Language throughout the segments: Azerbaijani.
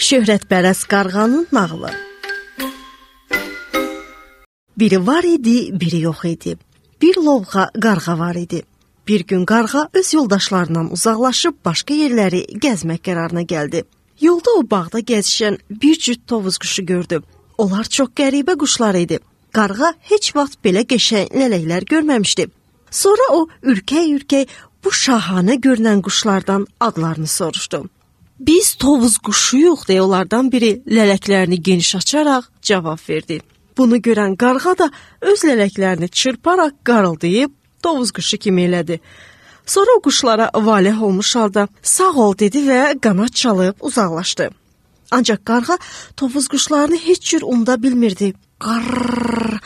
Şöhrətpərəst qarğanın nağılı. Biri var idi, biri yox idi. Bir lovğa qarğa var idi. Bir gün qarğa öz yoldaşlarından uzaqlaşıb başqa yerləri gəzmək qərarına gəldi. Yolda o bağda gəzişən bir cüt tovuz quşu gördü. Onlar çox qəribə quşlar idi. Qarğa heç vaxt belə qəşəng lələklər görməmişdi. Sonra o ürkək-ürkək bu şahanə görünən quşlardan adlarını soruşdu. Biz tovuz quşuyuq deyə onlardan biri lələklərini geniş açaraq cavab verdi. Bunu görən qarğa da öz lələklərini çırparaq qarıldayıb tovuz quşu kimi elədi. Sonra o quşlara valeh olmuş halda sağ ol dedi və qanad çalıb uzaqlaşdı. Ancaq qarğa tovuz quşlarını heç cür unuda bilmirdi. Qarr,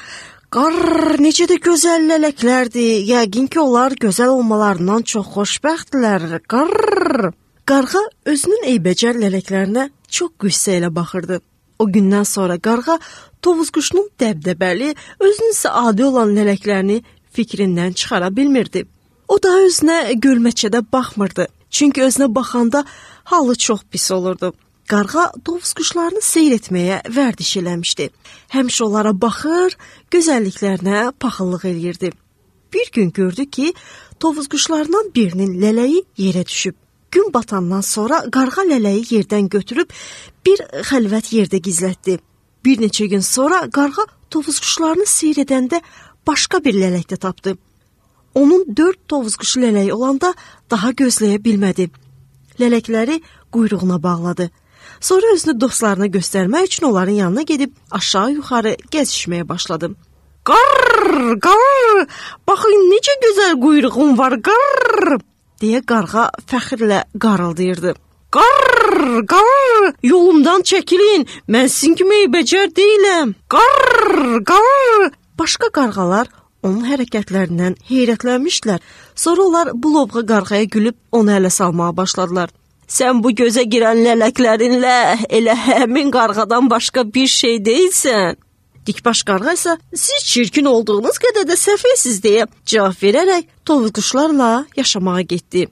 qarr, necə də gözəl lələklərdir. Yəqin ki, onlar gözəl olmalarından çox xoşbəxtdirlər. Qarr. Qarğa özünün eybəcər lələklərinə çox qüssə ilə baxırdı. O gündən sonra qarğa tovuz quşunun dəbdəbəli, özünün isə adi olan lələklərini fikrindən çıxara bilmirdi. O da özünə gölməçədə baxmırdı. Çünki özünə baxanda halı çox pis olurdu. Qarğa tovuz quşlarını seyr etməyə vərdiş eləmişdi. Həmişə onlara baxır, gözəlliklərinə paxıllıq eləyirdi. Bir gün gördü ki, tovuz quşlarından birinin lələyi yerə düşüb. Gün batandan sonra qarğa lələyi yerdən götürüb bir xəlvət yerdə gizlətdi. Bir neçə gün sonra qarğa tovuz quşlarını seyr edəndə başqa bir lələk də tapdı. Onun 4 tovuz quşu lələyi olanda daha gözləyə bilmədi. Lələkləri quyruğuna bağladı. Sonra özünü dostlarına göstərmək üçün onların yanına gedib aşağı-yuxarı gəzişməyə başladı. Qarr, qarr, baxın necə gözəl quyruğum var, qarr, deyə qarğa fəxrlə qarıldayırdı. Qarr, qarr, yolumdan çəkilin, mən sizin kimi eybəcər deyiləm. Qarr, qarr. Başqa qarğalar onun hərəkətlərindən heyrətlənmişdilər. Sonra onlar bu lovğa qarğaya gülüb onu ələ salmağa başladılar. Sən bu gözə girən lələklərinlə elə həmin qarğadan başqa bir şey deyilsən. Dikbaş qarğa isə siz çirkin olduğunuz qədər də səfehsiz deyə cavab verərək tovuz quşlarla yaşamağa getdi.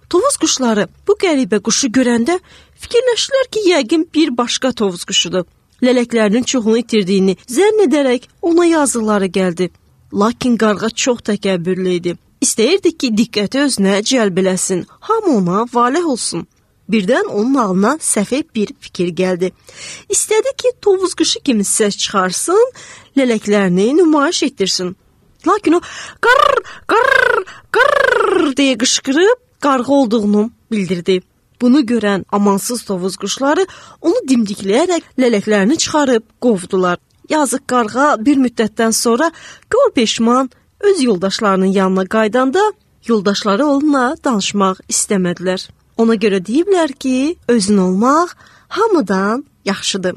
Tovuz quşları bu qəribə quşu görəndə fikirləşdilər ki, yəqin bir başqa tovuz quşudur. Lələklərinin çoxunu itirdiyini zənn edərək ona yazıqları gəldi. Lakin qarğa çox təkəbbürlü idi. İstəyirdi ki, diqqəti özünə cəlb eləsin, hamı ona valeh olsun. Birdən onun ağlına səfeh bir fikir gəldi. İstədi ki, tovuz quşu kimi səs çıxarsın, lələklərini nümayiş etdirsin. Lakin o qarr, qarr, qarr deyə qışqırıb qarğa olduğunu bildirdi. Bunu görən amansız tovuz quşları onu dimdikləyərək lələklərini çıxarıb qovdular. Yazıq qarğa bir müddətdən sonra gör peşman öz yoldaşlarının yanına qaydanda yoldaşları onunla danışmaq istəmədilər. Ona görə deyiblər ki, özün olmaq hamıdan yaxşıdır.